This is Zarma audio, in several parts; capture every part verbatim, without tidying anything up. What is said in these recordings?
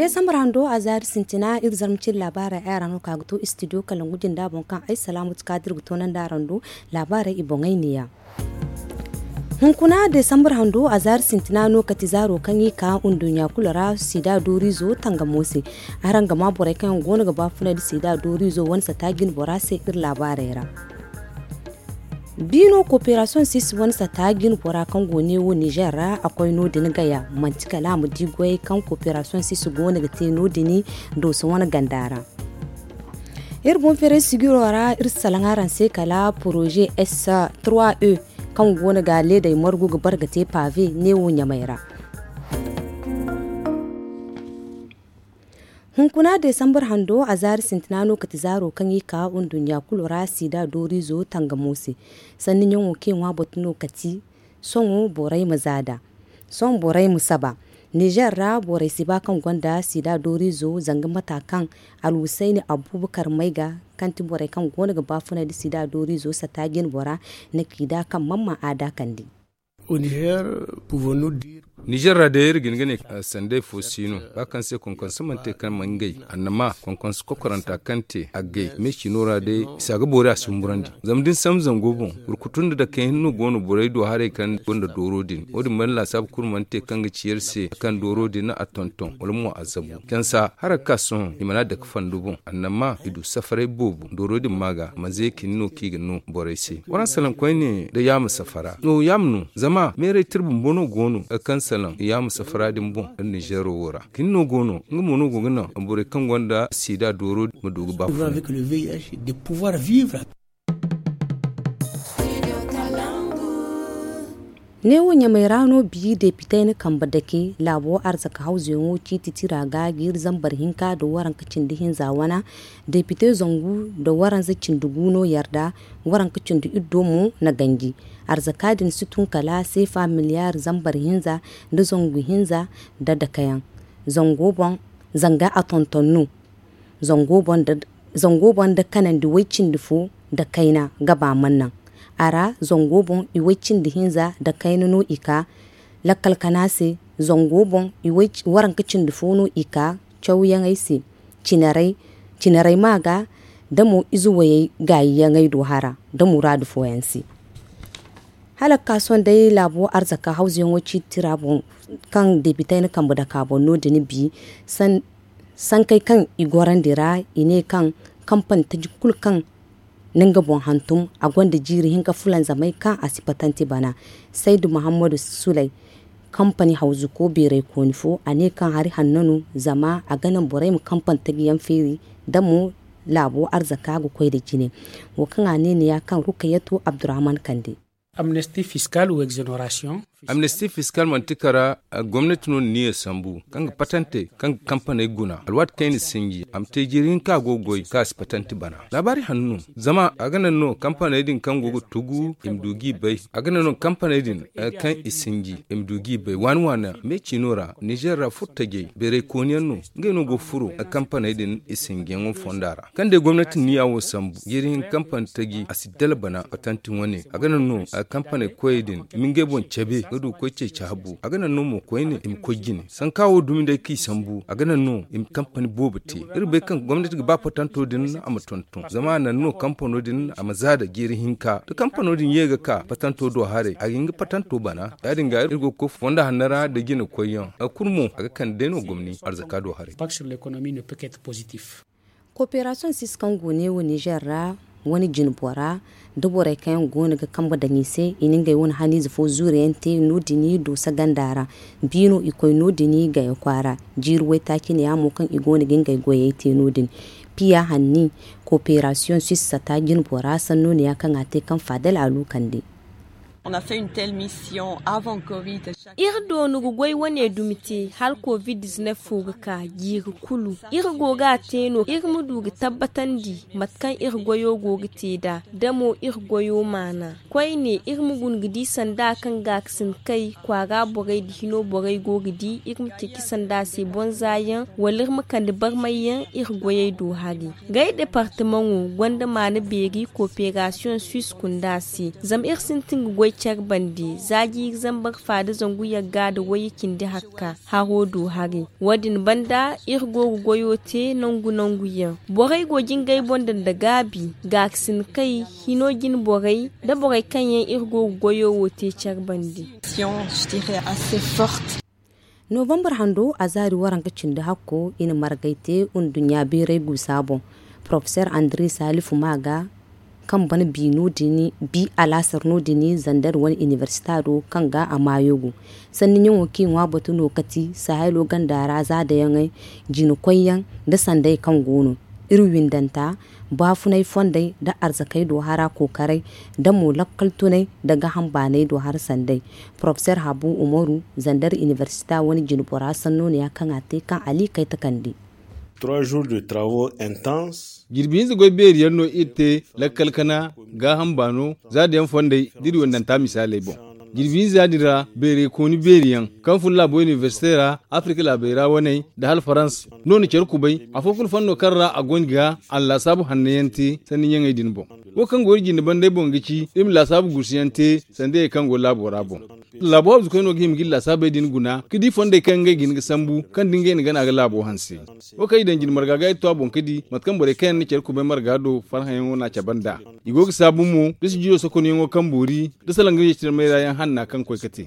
Desambar hando a zaari sintina iri zarma cine laabaarey ay ra no ka ga to istidiyo kalangu jinda boŋ kaŋ ay salaamu ti ka dira ga toonandi araŋ do. Laabaarey i boŋey neeya. Hunkuna desambar hando a zaari sintina no kati zaaro kaŋ i ka nduɲɲa kulu ra sida dooriizo tangamo se. Araŋ ga maa borey kaŋ yaŋ go no ga baafunay nda sida dooriizo wane sata jine bora se iri laabaarey ra. Biino kooperasiyoŋ sisi wane sata jine bora kaŋ go ne wo nizer ra a koy no- din gaya manti kala a ma di goyey kaŋ kooperasiyoŋ sisi go no ga te no- din dooso wane ganda ra. Iri boŋ feeray sigiro ra iri si salaŋ araŋ se kala poroze s trois e kaŋ go no ga leeday margu ga bare ga te pave ne wo ɲamay ra. Hunkuna desambar hando a zaari sintina no kati zaaro kaŋ i ka nduɲɲa kulu ra sida dooriizo tangamo se. Sanni ɲaŋo kaŋ i ŋwa batu no kati sohõ borey ma zaada. Sohõ borey ma saba. Nizer ra borey si ba kaŋ gonda sida dooriizo zanga mata kaŋ alwusayni abubakar may ga kaŋ ti borey kaŋ go no ga baafunay nda sida dooriizo sata jine bora na k'i da kaŋ mamma a da kande. Nizer ra day iri ga hin ga ne sanday fo si no ba kaŋ se konkonso mana te kaŋ mana ngey annama konkonso kokoranta kaŋ te a gay me cino ra day i si a ga boori a si humburandi. Zama da ni sambu zango boŋ burkutu nda dakey hinne no go no borey do haray kaŋ gonda dooro din wo- din mana laasaabu kulu mana te kaŋ ga ci iri se kaŋ dooro din a tonton wala mo a zabu cansa hara ga ka sohõ i mana dake fando boŋ annama i du safaray boobo dooro din ma ga manze kini no kaŋ i ga no borey se waraŋ salaŋ koyne da yaama safara no yaama no zama meeray tira bumbo no go no kaŋ salaŋ yaama safara din boŋ iri nizero wo ra kini no go no nga mo no go ga naŋ borey kaŋ gonda sida dooro ma du ga ba neewo ɲamay ra no bi depitey na kambe dake laabo arzaka hawzuyaŋo ciiti tira ga jiiri zambar hinka nda waranka cindi hinza wana depite zangu nda waranza cindi gu no yarda waranka cindi iddo mo na ganji arzaka din si tun kala seefa miliyar zambar hinza nda zangu hinza nda dakayaŋ zango boŋ zanga a tonton no zango boŋ nda kanandi way cindi fo nda kayna ga ba mana naŋ a ra zango boŋ i way cindi hinza nda kayna no i ka lakkal kana se zango boŋ i way waranka cindi fo no i ka cawyaŋey se cinarey ma ga da mo ize wayey gaayiyaŋey do hara da muraadu fooyaŋ se hala ga ka sohõ day laabo arzaka hawzuyaŋo ciiti tira boŋ kaŋ depitey na kambe dake a boŋ no- din bi sankey kaŋ i gorandi ra i ne kaŋ kampani taji kulu kaŋ na nga boŋ hantum a gonda jiiri hinka fulanzamey kaŋ a si patante bana saydu muhammadu suley kampani hawzuko beeraykooni fo a ne kaŋ hari hanno no zama a ga naŋ borey ma kampani taji yaŋ feeri da mo laabo arzaka ga koy nda jine wo kaŋ a ne ni ya kaŋ rukayatu abdurrahman kande. Amnesty fiscal ou exoneration. Amnesty fiscal manti kara gomnati no ni niya sambu kaŋ ga patante kaŋ ga kampaney guna alwaati kaŋ i na sinji a ma te jiiri hinka a go ga goy kaŋ a si patante bana laabaari hanno no zama a ga naŋ no kampaney din kaŋ go ga tugu i ma du g'i bay a ga naŋ no kampaney din kaŋ i sinji i ma du g'i bay waani waani me ciino ra nizer ra furtajey beeray kooniyaŋ no ngey no go ga furo kampaney din i sinjiyaŋo fonda ra kaŋ day gomnati niya wo sambu jiiri hinka kampani taji a si dala bana patante wane a ga naŋ no kampaney koyey din ma ngey boŋ cabe ga du ga koy ceeci habu a ga naŋ no mo koyne i ma koy jine sanka wo dumi day kaŋ i sambu a ga naŋ no i ma kampani boobo te iri bay kaŋ gomnati ga ba patanto din a ma tonton zama a naŋ no kampano din a ma za da jeeri hinka da kampano din ye ga ka patanto do haray a ga hin ga patanto bana ya- din ga iri go ga koy fonda hanno ra da jine koyyaŋ a kulu mo a ga kande day no gomni arzaka do haray. Kooperasiyoŋ sisi kaŋ go neewo nizer ra wane jine bora da borey kaŋ yaŋ go no ga kambe daŋ i se i na ngey wane haniize fo zuuriyaŋ te no- din doosa ganda ra. Bi no i koy no- din gaya kwaara jiiri waytaaci ne ya mo kaŋ i go no ga ngey goyey te no- din. Piya hanni kooperasiyoŋ sisi sata jine bora sanno ne ya kaŋ a te kaŋ faadal a lu kande. Iri doonu ga goy wane dumi te hala covid diznef fo ga ka jiiri kulu iri go ga a te no iri ma du ga tabbatandi mate kaŋ iri goyo go ga te nd'a da mo iri goyo maana koyne iri ma guna ga di sanda kaŋ gaakasin kay kwaara borey nda hino borey go ga di iri ma ceeci sanda se bonza yaŋ wala iri ma kande barmay yaŋ iri goyey do hari. Gay departemaŋo gonda maana beeri kooperasiyoŋ swiss kunda se zama iri sintin ga goy. care bande za jiiri zambar fa da zangu yagga da wayye cindi hakka haro du hari. Wo- din banda iri go ga goyo te nangu nangu yaŋ. Borey go ga ngey boŋ daŋ nda gaabi gaakasinakey hino jine borey nda borey kaŋ yaŋ iri go ga goyo wo te care bande. Novambar hando a zaari waranka cindi hakko i na margay te nduɲɲa beeray guusa boŋ. Porofesor andre salifu maaga kaŋ ban bi alaasar no- din zandar wane inibersita do kaŋ ga a maayo go. Sanni ɲaŋo kaŋ i ŋwa batu no kati sahaylo ganda ra za dayaŋey jina koyyaŋ nda sanday kaŋ go no iri windanta baafunay fondey nda arzakey do hara kookaray nda mo lakkal tunay nda gaham baanay do hara sanday. Porofesor habu umaru zandar inibersita wane jinbora sanno no ya kaŋ a te kaŋ ali kay takandi. Jirbi hinza goy beeri yaŋ no iri te lakkal kana gaaham baano za da yaŋ fondey da iri wandanta misaaley boŋ. Jirbi hinza din ra beerey kooni beeri yaŋ kaŋ fun laabo inibersite ra afirika laabey ra waney nda hala farans no na care kubay afo kulu fanno kaŋ ra a go ni ga allaasaabu hanno yaŋ te sanni ɲaŋey din boŋ. Wo kaŋ go iri jinde bandey boŋ ga ci iri ma laasaabu gursu yaŋ te sanda yey kaŋ go laabo ra boŋ. Laabo habzukey no ga hima ga iri laasaabey din guna ga di fondey kaŋ ngey ga hin ga sambu kaŋ da ngey na gana ga laabo hanse. Wo kaŋ i daŋ jine marga ga iri to a boŋ ga di mate kaŋ borey kaŋ yaŋ na care kubay marga do farhãyaŋo no a cabe nd'a. I go ga saabu mo da sujudo sokonyaŋo kaŋ boori da salaŋ ga yeecirmay ra yaŋ hanna kaŋ koy ga te.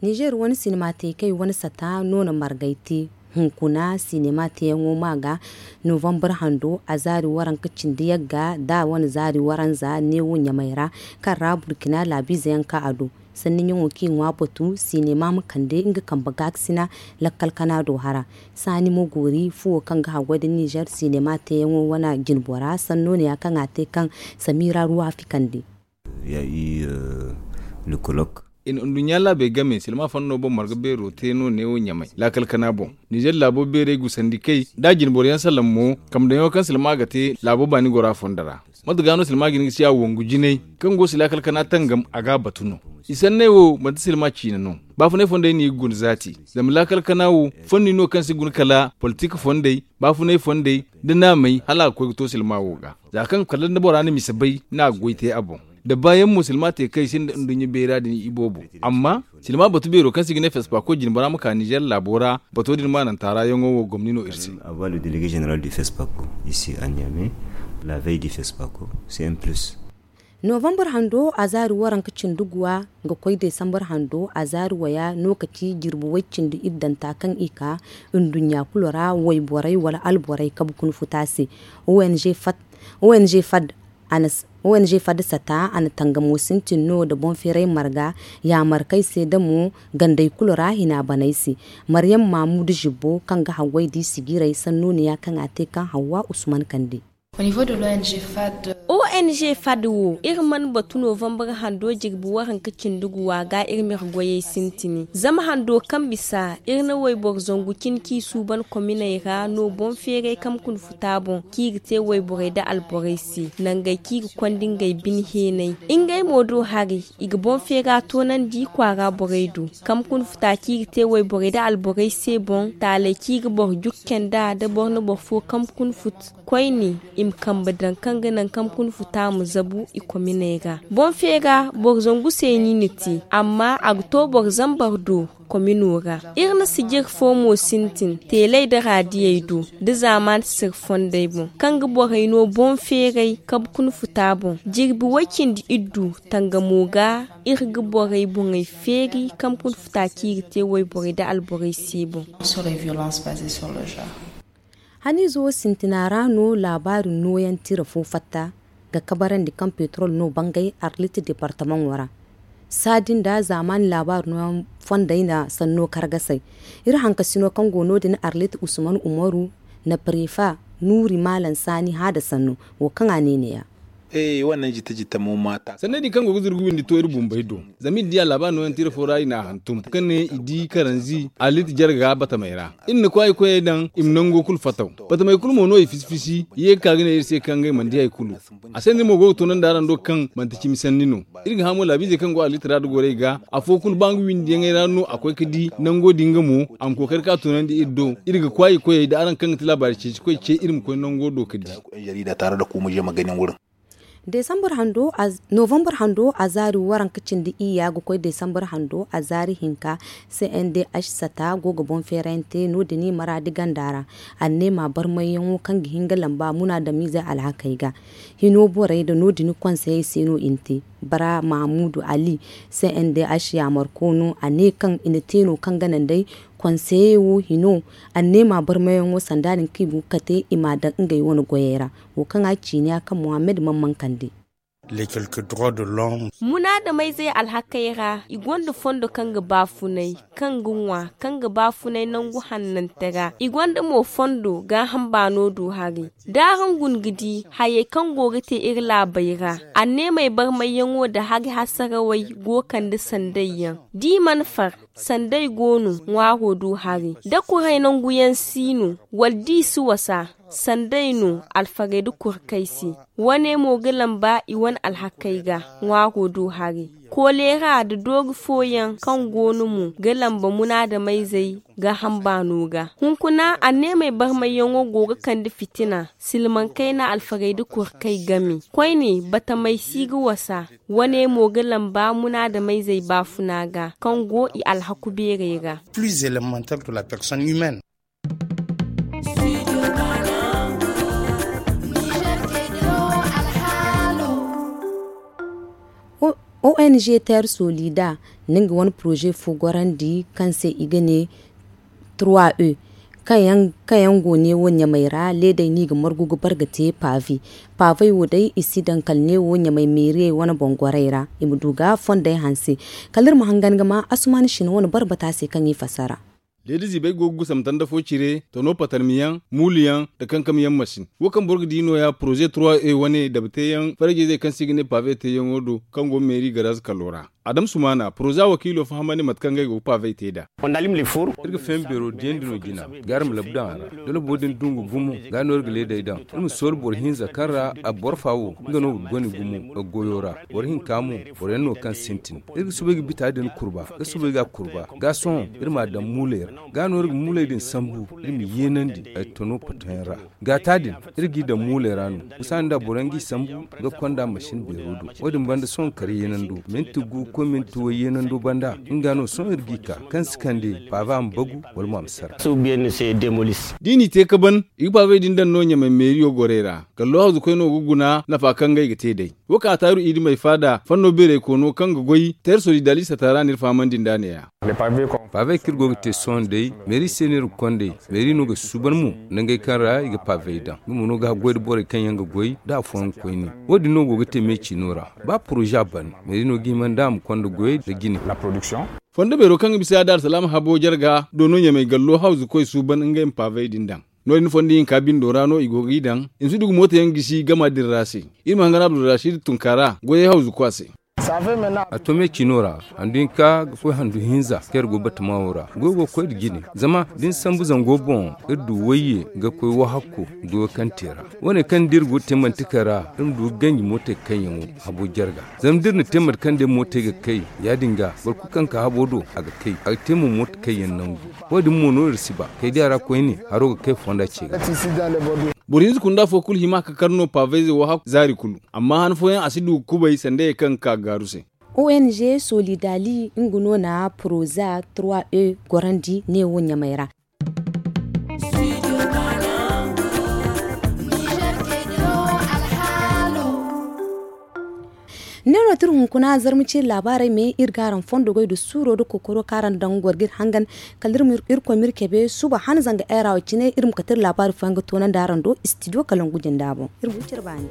Nizer wane sinima teekey wane sata no na margay te hunkuna sinima teeyaŋo ma ga novambar hando a zaari waranka cindi yagga da wane zaari waranza neewo ɲamay ra kaŋ ra burkina laabiize yaŋ ka a do. Sanni ɲaŋo kaŋ i ŋwa batu sinima ma kande nga kambe gaakasina lakkal kana do hara. Saani mo goori fuwo kaŋ ga haggoy nda nizer sinima teeyaŋo wane jinbora sanno ne ya kaŋ a te kaŋ samira ruwa fikandi. Ya i lukulok. I na nduɲɲa laabey game silma fanno boŋ marga beero te no neewo ɲamay laakal kana boŋ. Nizer laabo beerey gusandi kay da jinboro yaŋ salaŋ mo kambe daŋ yaŋo kaŋ silma ga te laabo baani gora fondo ra. Mate ga no silma ga hin ga si a wangu jinay kaŋ go si laakal kana tangam a ga a batu no. I sanney wo manti silma ciine no. Baafunay fondey no i ga guna zaati zama laakal kana wo fondi no kaŋ si guna kala politik fondey baafunay fondey nda naamey hala a ga koy ga to silma wo ga. Za kaŋ kala nda bora na misa bay no a ga goy te a boŋ. Da baayaŋ mo silma te kaŋ i sinda nduɲɲa beera din iboobo. Amma silma batu beero kaŋ se i ga ne fespaako jinbora ma ka nizer laabo ra bato din maananta ra yaŋo wo gomni no iri se. Avoir le délégué général du fespaako ici à niamey la veille du fespaako. C'est un plus. Novambar hando a zaari waranka cindi guwa ga koy desambar hando a zaari waya no ka ci jirbi way cindi iddanta kaŋ i ka nduɲɲa kulu ra wayborey wala alborey kabe kuna futa se. Ong fad ong fad ong fad sata a na tangamo sintin no nda boŋ feeray marga yaamarkey se nda mo gandey kulu ra hina baney se. Maryam maamudu zibbo kaŋ ga haggoy da i sijirey sanno ne ya kaŋ a te kaŋ hawwa usman kande. Ong fad wo iri mana batu novambar hando jirbi waranka cindi guwa ga iri ma iri goyey sintini zama hando kaŋ bisa iri na wayboro zangu cine kaŋ i suuban kominey ra no boŋ feeray kaŋ ma kuna futa boŋ kaŋ i ga te wayborey nda alborey se nangey kaŋ i ga konda ngey bine heenay. Ngey mo do hari i ga boŋ feera toonandi kwaara borey do kaŋ ma kuna futa kaŋ i ga te wayborey nda alborey se boŋ taaley kaŋ i ga boro jukke nd'a da boro na boro fo kaŋ ma kuna futa koyne i ma kambe daŋ kaŋ ga naŋ kaŋ ma kuna futa ma zabu i kominey ra. Boŋ feera boro zangu se no i na te amma a ga to boro zambar do komino ra. Iri na sijir fo mo sintin teeley nda raadiyey do nda zaamaani sir fondey boŋ kaŋ ga borey no boŋ feeray kabe kuna futa boŋ jirbi way-cindi-iddu tangamo ga. Iri ga borey boŋey feeri kaŋ ma kuna futa kaŋ i ga te wayborey nda alborey se boŋ. Haniize wo sintina ra no laabaari nooyaŋ tira fo fatta ga kabarandi kaŋ petrol no bangay arlit departamaŋo ra. Saadi nda zaamaani laabaari nooyaŋ fondey na sanno kargasay. Iri hankasino kaŋ go no- din arlit usman umaru na prefa nuuri maalam saani hã nda sanno wo kaŋ a ne neeya. Sanney din kaŋ go ga zurgu windi to iri bumbey do. Zama iri di a laabaari nooyaŋ tira fo ra i n'a hantum kaŋ ne i di karanzi arlit jarga batamey ra. Iri na kwaayi koyey daŋ i ma nango kulu fataw. Batamey kulu mo no i fisi fisi i ye ga ka ga ne iri se kaŋ ngey mana di hari kulu. A se no iri mo go ga toonandi araŋ do kaŋ manti cimi sanni no. Iri ga hã mo laabiizey kaŋ go arlit ra nda gorey ga afo kulu ba nga windiyaŋey ra no a koy ga di nango din ga mo a ma kookari ka toonandi iri do. Iri ga kwaayi koyey nda araŋ kaŋ ga ti laabaari ceeci koy ce iri ma koy nango do ga di. Novembre hando a zaari waranka cindi iyya ga koy decembre hando a zaari hinka. C n d h sata go ga boŋ feerayante no- din maraadi ganda ra. Anneema barmayyaŋo kaŋ ga hin ga lamba munaadamiizey alhakey ga hino borey nda no- din konseyey se no i na te. Bara mahamuudu ali, c n d h yaamarko no a ne kaŋ i na te no kaŋ ga naŋ day konseyey wo hino anneema barmayyaŋo sanda din kaŋ i go ga kate i m'a daŋ ngey wane goyey ra. Wo kaŋ a ciini ya kaŋ mohammed man mankandi. Munaadamayzey alhakey ra i gonda fondo kaŋ ga baafunay, kaŋ ga ŋwa, kaŋ ga baafunay nangu hannante ra. I gonda mo fondo gaaham baano du hari. Da araŋ guna ga di hayey kaŋ go ga te iri laabey ra, anneemey barmayyaŋo nda hari hasarawey go ga kande sanday yaŋ. Da i mana far, sanday go no ŋwaaro du hari. Da kuray nanguyaŋ si no, wala da i si wasa, sanday no alfarey nda kurkey se. Wane mo ga lamba i wane alhakey ga ŋwaaro do hari. Koleera nda doori fooyaŋ kaŋ go no mo ga lamba munaadamayzey gaaham baano ga. Hunkuna anneemey barmayyaŋo go ga kande fitina, silmaŋ kayna alfarey nda kurkey game. Koyne batamey si ga wasa. Wane mo ga lamba munaadamayzey baafuna ga kaŋ go i alhaku beerey ra. O n g ter solida na nga wane poroze fo gorandi kaŋ se i ga ne trois e, kaŋ yaŋ go neewo ɲamey ra leedey no i ga margu ga bare ga te pave. Pavey wo day i si daŋ kala neewo ɲamey meeriyey wane boŋ gorey ra i ma du ga fondey hanse. Kala iri ma hangan ga ma asuman sina wane bare bata se kaŋ i fassara. Leeda ziibey go ga gusam tanda fo cire tano patarmiyaŋ, muuluyaŋ, nda kankamyaŋ masin. Wo kaŋ boro ga di nooya poroze trois e wane dabateyaŋ farajizey kaŋ se i ga ne pave teeyaŋo do kaŋ go meeri garaz kalo ra. Adam sumana poroza wakiilo fahamandi mate kaŋ ngey go ga pave te nd'a. Iri ga feema beero diyandi no jina, ga iri ma labu daŋ a ra. Da labo din dungu gumo, ga no iri ga leedey daŋ. Iri ma soola boro hinza kaŋ ra a boro fa wo, nga no ga goni gumo ga goyo ra. Boro hinka mo, boro yaŋ no kaŋ sintin. Iri ga soobay ga bita din kurba, ga soobay ga kurba. Ga sohõ iri m'a daŋ muuley ra. Ga no iri ga muuley din sambu, iri ma yeenandi ay tono potoyaŋ ra. Gaata din, iri g'i daŋ muuley ra no. Misaali nda boro yaŋ g'i sambu ga konda masin beero do. Wo-din banda sohõ kar yeenando minti gu ga koy minti way yeenando banda, nga no sohõ iri g'i ka kaŋ si kande paava ma bagu wala mo a ma sara. D'i n'i te ka ban, i ga paavey din daŋ no ɲamay meeriyo gorey ra. Gallo hawzukoy no ga guna nafa kaŋ ngey ga te day. Wo kaŋ a taaru i dimey faada fanno beeray koono kaŋ ga goy teer solidalis a taara no iri fahamandi nd'a ne-ya. Paavey kaŋ iri go ga te sohõ day meeri se no iri ga konda meeri no ga suuban mo nangey kaŋ ra i ga paavey daŋ nga mo no ga haggoy nda borey kaŋ yaŋ ga goy nda afooyaŋ koyne. Wo-din no go ga te me ciino ra. Ba poroza ban meeri no ga hima nda a ma konda goyey nda jine. Fondo beero kaŋ ga bisa da alsalaama habo jarga do no ɲamay gallo hawzukoy suuban ngey ma paavey din daŋ. No-din fondo hinka bindo ra no i go g'i daŋ. I ma si du ga mooto yaŋ gisi gama din ra se. Iri ma hangan abdulrasid tunkaara goyey hawzuko a se. A to me ciino ra handu hinka ga koy handu hinza kaŋ iri go batama wo ra goyo go ga koy nda jine. Zama da ni sambu zango boŋ iri du wayye ga koy wahakko goyo kaŋ te ra. Wo- ne kaŋ da iri go ga te manti kay ra iri ma du ga ganji mootey kaŋ yaŋo habo jarga. Zama da iri na te mate kaŋ day mootey ga kay ya- din ga boro kulu kaŋ ka habo do a ga kay a ga te mo mooto kaŋ yaŋ nangu. Wo- din mo no iri si ba kay diya ra koyne haro ga kay fonda ce ga. Boro hinza kunda fo kulu hima ka kar no paavayze wo hakku zaari kulu. Amma han fooyaŋ a si du ga kubay sanda ye kaŋ ga ka gaaru se. O n g solidali nga no na poroza trois e gorandi neewo ɲamay ra. Ne no ti iri hunkuna zarma ciiri laabaarey me iri ga araŋ fondo goy nda suuro nda kokoro kaŋ araŋ daŋ ga goro ga iri hangan. Kala iri ma irkoy ma iri cabe suba han zanga eera wo cine iri ma kate iri laabaari fooyaŋ ga toonandi araŋ do istidiyo kalangu jinda boŋ. Iri ma wi cire baani.